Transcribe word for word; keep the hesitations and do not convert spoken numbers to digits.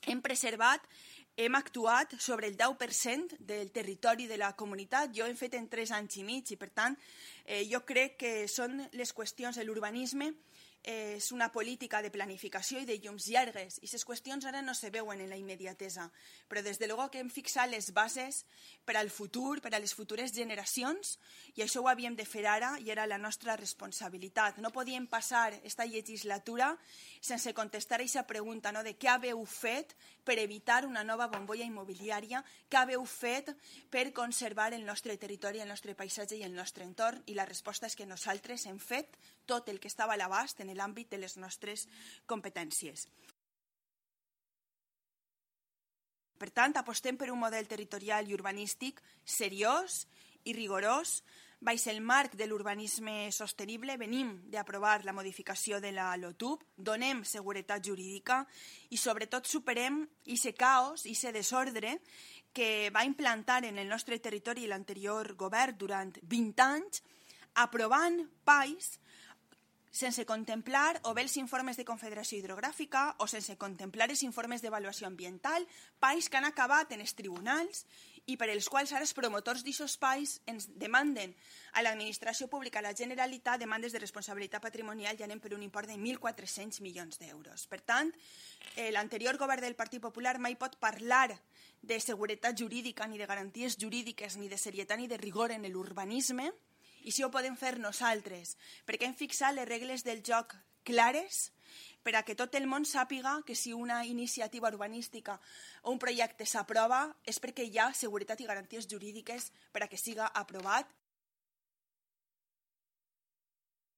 hem preservat, hem actuat sobre el deu per cent del territori de la comunitat. Jo ho hem fet en tres anys i mig i, per tant, eh, jo crec que són les qüestions de l'urbanisme. Eh, és una política de planificació i de llums llargues i aquestes qüestions ara no se veuen en la immediatesa, però des de luego que hem fixat les bases per al futur, per a les futures generacions, i això ho havíem de fer ara i era la nostra responsabilitat. No podíem passar esta legislatura sense contestar a aquesta pregunta, no?, de què haveu fet per evitar una nova bombolla immobiliària, què haveu fet per conservar el nostre territori, el nostre paisatge i el nostre entorn, i la resposta és que nosaltres hem fet tot el que estava a l'abast en l'àmbit de les nostres competències. Per tant, apostem per un model territorial i urbanístic seriós i rigorós. Baix el marc de l'urbanisme sostenible venim d'aprovar la modificació de la LOTUB, donem seguretat jurídica i sobretot superem aquest caos, aquest desordre que va implantar en el nostre territori l'anterior govern durant vint anys, aprovant P A Is sense contemplar o bé els informes de Confederació Hidrogràfica o sense contemplar els informes d'avaluació ambiental, P A Is que han acabat en els tribunals i per als quals ara els promotors d'aquests P A Is ens demanden a l'administració pública, a la Generalitat, demandes de responsabilitat patrimonial i anem per un import de mil quatre-cents milions d'euros. Per tant, eh, l'anterior govern del Partit Popular mai pot parlar de seguretat jurídica, ni de garanties jurídiques, ni de serietat ni de rigor en l'urbanisme, i si ho podem fer nosaltres, perquè hem fixat les regles del joc clares per a que tot el món sàpiga que si una iniciativa urbanística o un projecte s'aprova és perquè hi ha seguretat i garanties jurídiques per a que siga aprovat